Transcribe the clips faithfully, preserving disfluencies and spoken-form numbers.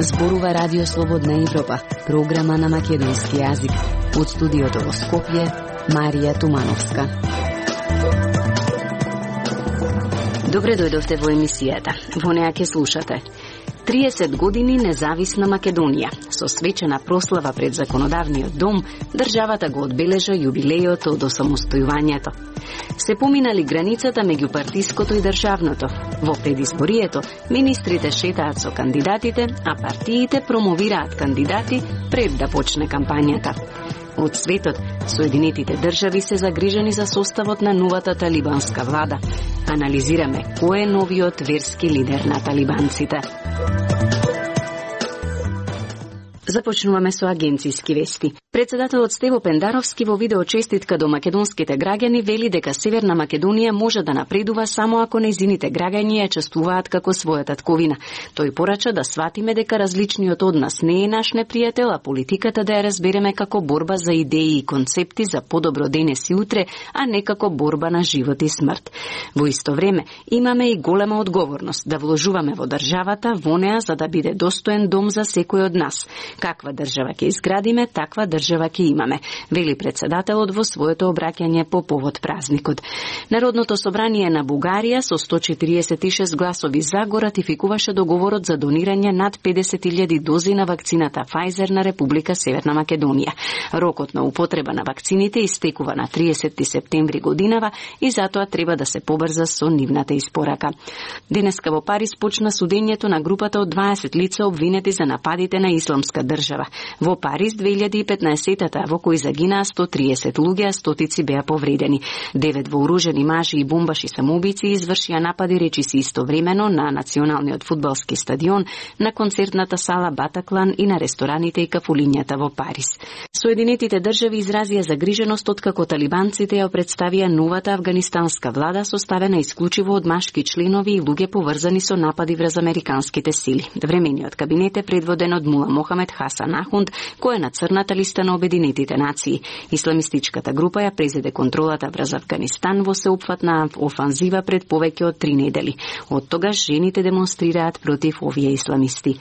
Зборува Радио Слободна Европа, програма на македонски јазик. Од студиото во Скопје, Марија Тумановска. Добре дојдовте во емисијата. Во неа ќе слушате триесет години независна Македонија. Со свечена прослава пред Законодавниот дом, државата го одбележа јубилејот од осамостојувањето. Се поминали границата меѓу партиското и државното. Во предизборието, министрите шетаат со кандидатите, а партиите промовираат кандидати пред да почне кампањата. Од светот, Соединетите држави се загрижени за составот на новата талибанска влада. Анализираме кој е новиот верски лидер на талибанците. Започнуваме со агенцијски вести. Председателот Стево Пендаровски во видео честитка до македонските граѓани вели дека Северна Македонија може да напредува само ако нејзините граѓани ја чествуваат како своја татковина. Тој порача да сватиме дека различниот од нас не е наш непријател, а политиката да ја разбереме како борба за идеи и концепти за подобро денес и утре, а не како борба на живот и смрт. Во исто време, имаме и голема одговорност да вложуваме во државата, во неа за да биде достоен дом за секој од нас. Каква држава ќе изградиме, таква држава ќе имаме, вели председателот во своето обраќање по повод празникот. Народното собрание на Бугарија со сто четириесет и шест гласови за го ратификуваше договорот за донирање над педесет илјади дози на вакцината Pfizer на Република Северна Македонија. Рокот на употреба на вакцините истекува на триесети септември годинава и затоа треба да се побрза со нивната испорака. Денеска во Париз почна судењето на групата од дваесет лица обвинети за нападите на исламска држава. Во Париз две илјади и петнаесетта, во кој загинаа сто триесет луѓе, а стотици беа повредени. Девет вооружени мажи и бомбаши самоубици извршија напади речиси истовремено на националниот фудбалски стадион, на концертната сала Батаклан и на рестораните и кафулињата во Париз. Соединетите држави изразија загриженост откако талибанците ја представија новата афганистанска влада составена исклучиво од машки членови и луѓе поврзани со напади врз американските сили. Времениот кабинет е предводен од Мула Мохамед Хасан Ахунд, кој е на црната листа на Обединетите нации. Исламистичката група ја презеде контролата врз Афганистан во сеопфатна офанзива пред повеќе од три недели. Од тогаш жените демонстрираат против овие исламисти.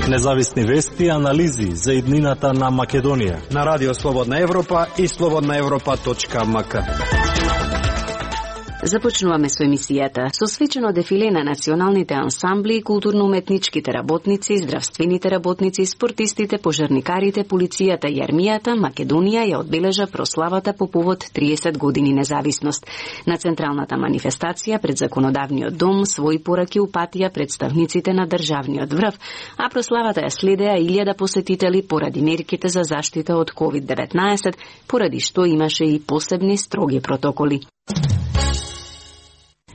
Независни вести и анализи за иднината на Македонија на Радио Слободна Европа и слободна европа точка ем ка. Започнуваме со емисијата. Со свечено дефиле на националните ансамбли и културно-уметничките работници, здравствените работници, спортистите, пожарникарите, полицијата и армијата, Македонија ја одбележа прославата по повод триесет години независност. На централната манифестација пред Законодавниот дом своји пораки упатија представниците на државниот врв, а прославата ја следеа илјада посетители поради мерките за заштита од ковид деветнаесет, поради што имаше и посебни строги протоколи.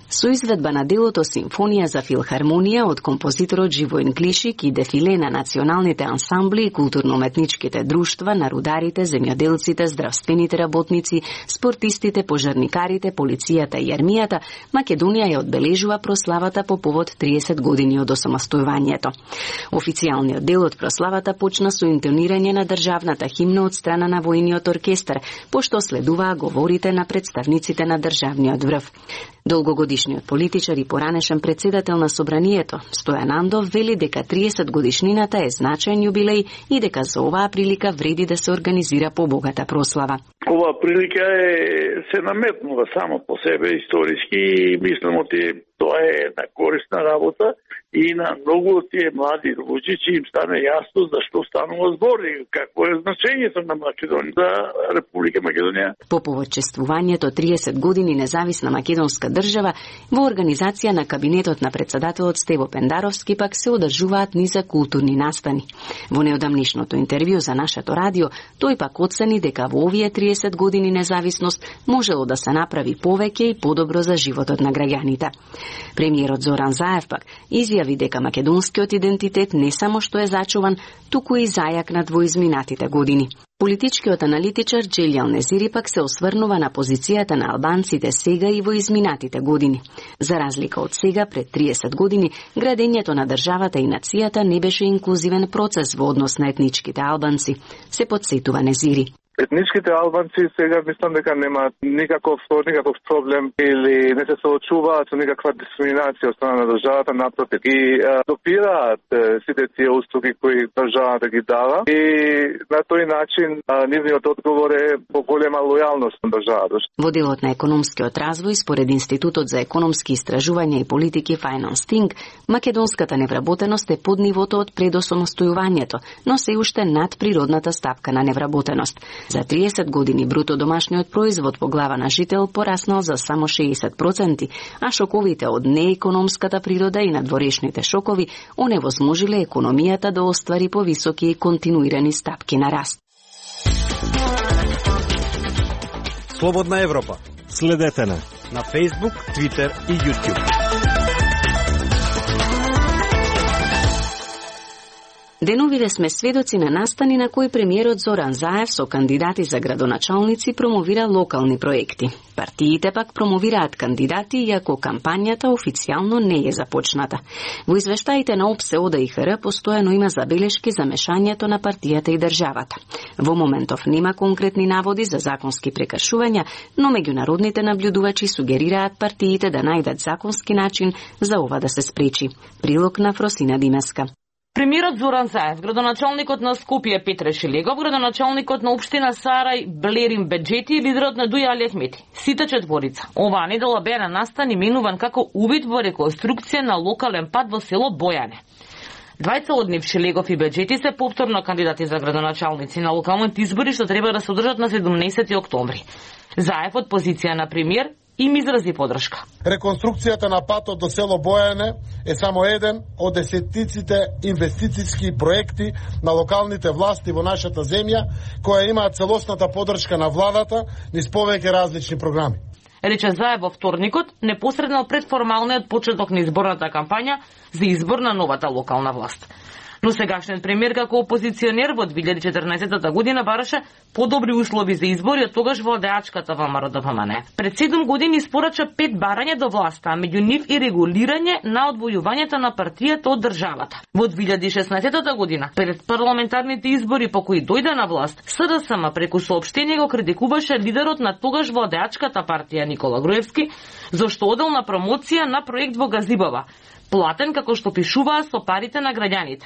Со изведба на делото Симфонија за филхармонија од композиторот Живоин Клишик и дефиле на националните ансамбли и културно-уметничките друштва на рударите, земјоделците, здравствените работници, спортистите, пожарникарите, полицијата и армијата, Македонија ја одбележува прославата по повод триесет години од осамостојувањето. Официјалниот дел од прославата почна со интонирање на државната химна од страна на војниот оркестар, пошто следуваа говорите на представниците на државниот врв. Долгогодишниот политичар и поранешен председател на Собранието, Стојан Андов, вели дека триесет годишнината е значаен јубилеј и дека за оваа прилика вреди да се организира побогата прослава. Оваа прилика е се наметнува само по себе историски и мислам оти тоа е една корисна работа и на многу од тие млади луѓе че им стане јасно за што станува збор и какво е значењето на Македонија за Република Македонија. По повод чествувањето триесет години независна македонска држава, во организација на кабинетот на председателот Стево Пендаровски пак се одржуваат низа културни настани. Во неодамнишното интервју за нашето радио, тој пак оцени дека во овие триесет години независност можело да се направи повеќе и подобро за животот на граѓаните. Премиерот Зоран Заев пак изјави дека македонскиот идентитет не само што е зачуван, туку и зајакнат во изминатите години. Политичкиот аналитичар Джелјал Незири пак се осврнува на позицијата на албанците сега и во изминатите години. За разлика од сега, пред триесет години, градењето на државата и нацијата не беше инклузивен процес во однос на етничките албанци, се потсетува Незири. Етничките албанци сега мислам дека немаат никаков никаков проблем или не се соочуваат со никаква дискриминација од страна на државата, напротив. И а, допираат е, сите тие услуги кои државата ги дава и на тој начин а, нивниот одговор е по голема лојалност на државата. Во делот на економскиот развој, според Институтот за економски истражувања и политики Financing, македонската невработеност е под нивото од пред осамостојувањето, но се уште над природната ставка на невработеност. За триесет години бруто домашниот производ по глава на жител пораснал за само шеесет проценти, а шоковите од неекономската природа и надворешните шокови оневозможиле економијата да оствари повисоки и континуирани стапки на раст. Слободна Европа. Следете на на Facebook, Twitter и YouTube. Деновиве сме сведоци на настани на кои премиерот Зоран Заев со кандидати за градоначалници промовира локални проекти. Партиите пак промовираат кандидати, иако кампањата официјално не е започната. Во извештаите на ОПСЕ, ОДА и ХР постојано има забелешки за мешањето на партијата и државата. Во моментов нема конкретни наводи за законски прекршувања, но меѓународните наблюдувачи сугерираат партиите да најдат законски начин за ова да се спречи. Прилог на Фросина Димеска. Премиерот Зоран Заев, градоначалникот на Скопје Петре Шилегов, градоначалникот на општина Сарај Блерим Беџети и лидерот на Дуј Али Ахмети. Сите четворица. Оваа недела беа на настан именуван како увид во реконструкција на локален пат во село Бојане. Двајца од нив, Шилегов и Беџети, се повторно кандидати за градоначалници на локалните избори што треба да се одржат на седумнаесети октомври. Заев од позиција на премиер им изрази подршка. Реконструкцијата на патот до село Бојане е само еден од десетиците инвестициски проекти на локалните власти во нашата земја, која имаат целосната подршка на владата низ повеќе различни програми. Рече Заев во вторникот, непосредно пред формалниот почеток на изборната кампања за избор на новата локална власт. Но сегашниот премиер како опозиционер во две илјади и четрнаесетта година бараше подобри услови за избори од тогаш владеачката ВМРО Д П М Н. Пред седум години испорача пет барања до власта, а меѓу нив и регулирање на одвојувањето на партијата од државата. Во две илјади и шеснаесетта година, пред парламентарните избори по кои дојде на власт, С Д С М преку соопштение го критикуваше лидерот на тогаш владеачката партија Никола Груевски, зашто одел на промоција на проект во Газибова, платен како што пишуваа со парите на граѓаните.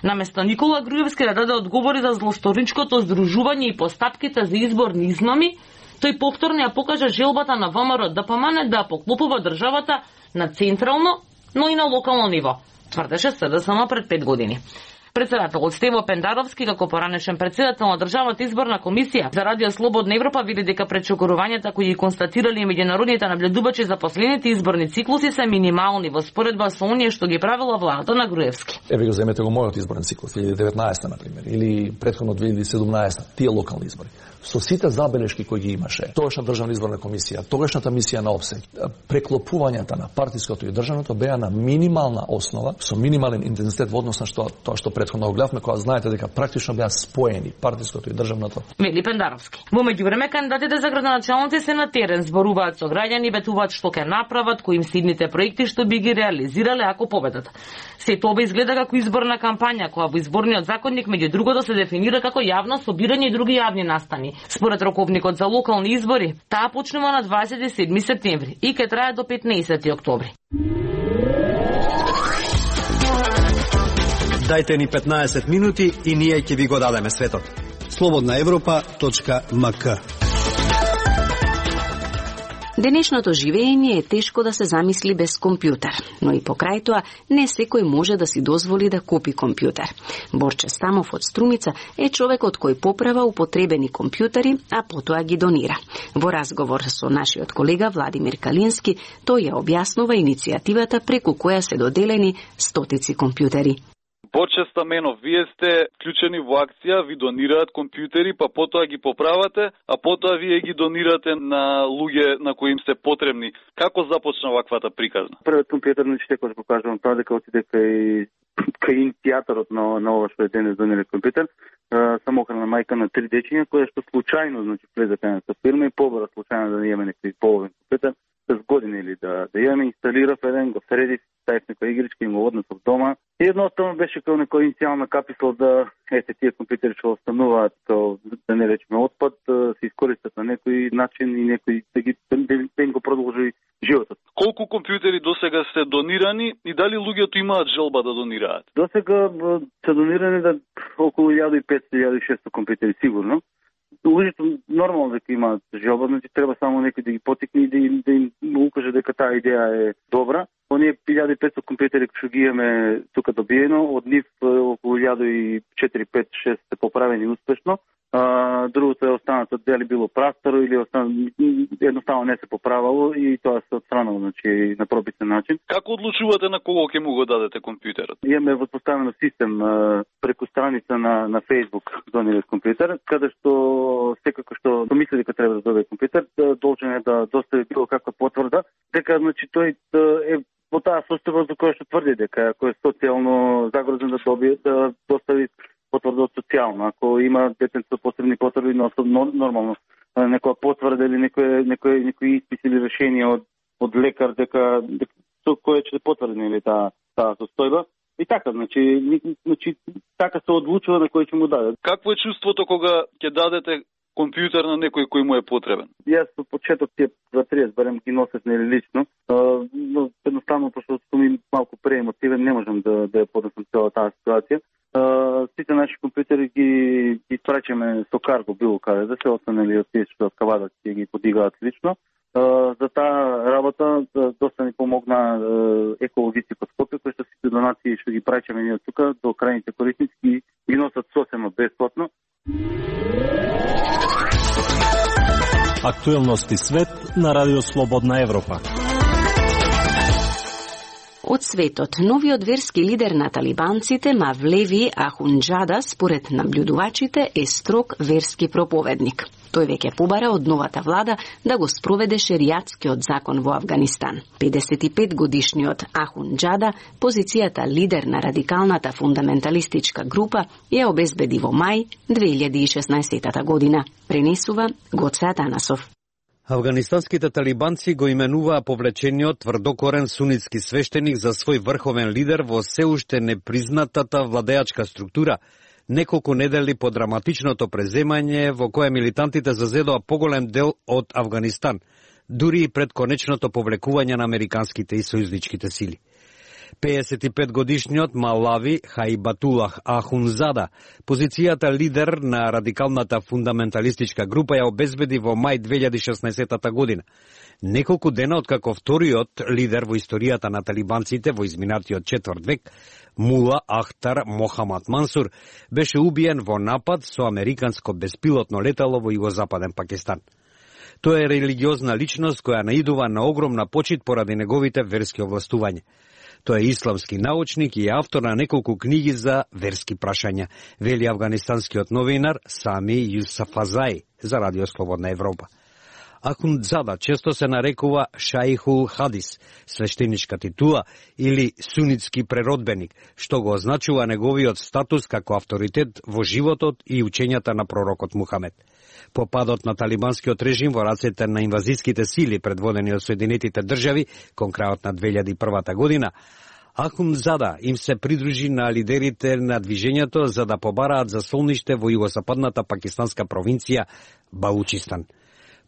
Наместо Никола Груевски да даде одговори за злосторничкото здружување и постапките за изборни измами, тој повторно ја покажа желбата на ВМРО Д П М Н да поклопува државата на централно, но и на локално ниво, тврдеше С Д С М пред пет години. Председателот Стево Пендаровски, како поранешен председател на Државната изборна комисија за Радио Слободна Европа, вели дека пречокорувањата кои ги констатирали меѓународните наблюдувачи за последните изборни циклуси се минимални во споредба со оние што ги правила владата на Груевски. Еве го земете го мојот изборен циклус, две илјади и деветнаесетта на пример, или претходно две илјади и седумнаесетта, тие локални избори. Со сите забелешки кои ги имаше, тогашна Државна изборна комисија, тогашната мисија на ОПСЕ, преклопувањата на партиското и државното беа на минимална основа, со минимален интензитет во однос на што тоа што претходно го гледавме, кога знаете дека практично беа споени партиското и државното. Вели Пендаровски. Во меѓувреме кандидатите за градоначалници се на терен, зборуваат со граѓани, ветуваат што ќе направат, кои им сидните проекти што би ги реализирале ако победат. Сето ова изгледа како изборна кампања, која во изборниот законник меѓу другото се дефинира како јавно собирање и други јавни настани. Според роковникот за локални избори, таа почнува на дваесет и седми септември и ќе трае до петнаесети октомври. Дајте ни петнаесет минути и ние ќе ви го дадеме светот. слободна европа точка м к. Денешното живење е тешко да се замисли без компјутер, но и покрај тоа не секој може да си дозволи да купи компјутер. Борче Стамов од Струмица е човекот кој поправа употребени компјутери, а потоа ги донира. Во разговор со нашиот колега Владимир Калински, тој ја објаснува иницијативата преку која се доделени стотици компјутери. Борче Стаменов, вие сте вклучени во акција, ви донираат компјутери, па потоа ги поправате, а потоа вие ги донирате на луѓе на кои им се потребни. Како започна ваквата приказна? Првиот компјутер не ќе го покажувам тоа дека отиде кај кај иницијаторот на на ова што е денес донира компјутер, самохрана мајка на три дечиња, која што случајно значи влезе кај нашата фирма и побара случајно да не имаме некој половен компјутер. през години или да, да имаме инсталирав еден, го средив, ставив некоја игричка и го однесов дома. И едноставно беше како некоја иницијална каписла да ете тие компјутери што остануваат како да не речеме отпад, да се искористат на некој начин и некој да ги да им го продолжи животот. Колку компјутери досега се донирани и дали луѓето имаат желба да донираат? Досега се донирани да околу илјада и петстотини до илјада и шестоста компјутери сигурно. Луѓето нормално дека имаат желба, значи треба само некој да ги потикне и да им, да им укаже дека таа идеја е добра. Оние илјада и петстотини компјутери што ги имаме тука добиено, од нив околу илјада и четири, пет, шест се поправени успешно. А, другото е останато дали било прастаро или остан... едноставно не се поправало и тоа се отстранало, значи на прописен начин. Како одлучувате на кого ќе му го дадете компјутерот? Имаме воспоставено систем а, преку страница на на Facebook донират компјутер, каде што секако што мисли дека треба да добие компјутер, должен е да достави било каква потврда, дека значи тој е во таа состојба за која што тврди дека ако е социјално загрозен да добие да достави потврда од социјално. Ако има детенце со посебни потреби, но нормално некоја потврда или некој некој некој испис или решение од од лекар дека дека со кое ќе потврди или таа таа состојба. И така, значи, значи така се одлучува на кој ќе му даде. Какво е чувството кога ќе дадете компјутер на некој кој му е потребен? Јас во почеток тие два тридесет барем ги носев нели лично, но едноставно пошто сум ми малку преемотивен, не можам да да ја поднесам цела таа ситуација. Uh, сите наши компјутери ги ги испрачаме со карго било каде да се останали од тие што од Кавадат ќе ги подигаат лично. Uh, за таа работа uh, доста ни помогна uh, екологисти од Скопје, кои што сите донации што ги прачаме ние тука до крајните корисници ги носат сосема бесплатно. Актуелности свет на Радио Слободна Европа. Од светот, новиот верски лидер на талибанците Мавлеви Ахунџада, според наблюдувачите, е строг верски проповедник. Тој веќе побара од новата влада да го спроведе шеријатскиот закон во Авганистан. педесет и пет годишниот Ахунџада, позицијата лидер на радикалната фундаменталистичка група, ја обезбеди во мај две илјади и шеснаесетта година. Пренесува Гоце Атанасов. Авганистанските талибанци го именуваа повлечениот тврдокорен сунитски свештеник за свој врховен лидер во се уште непризнатата владеачка структура, неколку недели по драматичното преземање во кое милитантите зазедоа поголем дел од Авганистан, дури и пред конечното повлекување на американските и сојузничките сили. педесет и пет годишниот Малави Хаибатулах Ахунзада, позицијата лидер на радикалната фундаменталистичка група, ја обезбеди во мај две илјади и шеснаесетта година. Неколку дена откако вториот лидер во историјата на талибанците во изминатиот четврт век, Мула Ахтар Мохамад Мансур, беше убиен во напад со американско беспилотно летало во југозападен Пакистан. Тој е религиозна личност која наидува на огромна почит поради неговите верски овластувања. Тој е исламски научник и автор на неколку книги за верски прашања, вели авганистанскиот новинар Сами Юсафазај за Радио Слободна Европа. Ахунdzada често се нарекува Шаихул Хадис, свештеничка титула или сунитски преродбеник, што го означува неговиот статус како авторитет во животот и учењата на пророкот Мухамед. По падот на талибанскиот режим во рацете на инвазиските сили предводени од Соединетите држави кон крајот на две илјади и прва година, Ахунdzada им се придружи на лидерите на движењето за да побараат за солниште во југозападната пакистанска провинција Балучистан.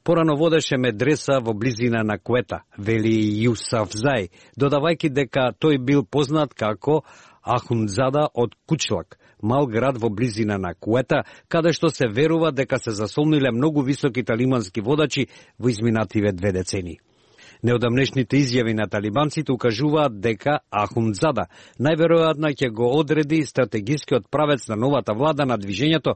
Порано водеше медреса во близина на Куета, вели Юсафзај, додавајќи дека тој бил познат како Ахунdzada од Кучлак, мал град во близина на Куета, каде што се верува дека се засолниле многу високи талибански водачи во изминативе две децении. Неодамнешните изјави на талибанците укажуваат дека Ахунdzada најверојатно ќе го одреди стратегискиот правец на новата влада на движењето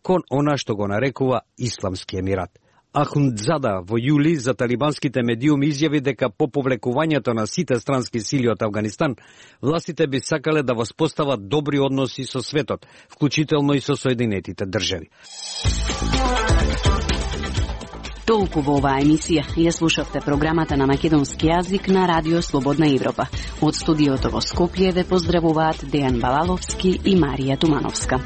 кон она што го нарекува Исламски емират. Ахунdzada во јули за талибанските медиуми изјави дека по повлекувањето на сите странски сили од Авганистан, властите би сакале да воспостават добри односи со светот, вклучително и со Соединетите држави. Толку во оваа емисија. Ја слушавте програмата на македонски јазик на Радио Слободна Европа. Од студиото во Скопје ве поздравуваат Дејан Балаловски и Марија Тумановска.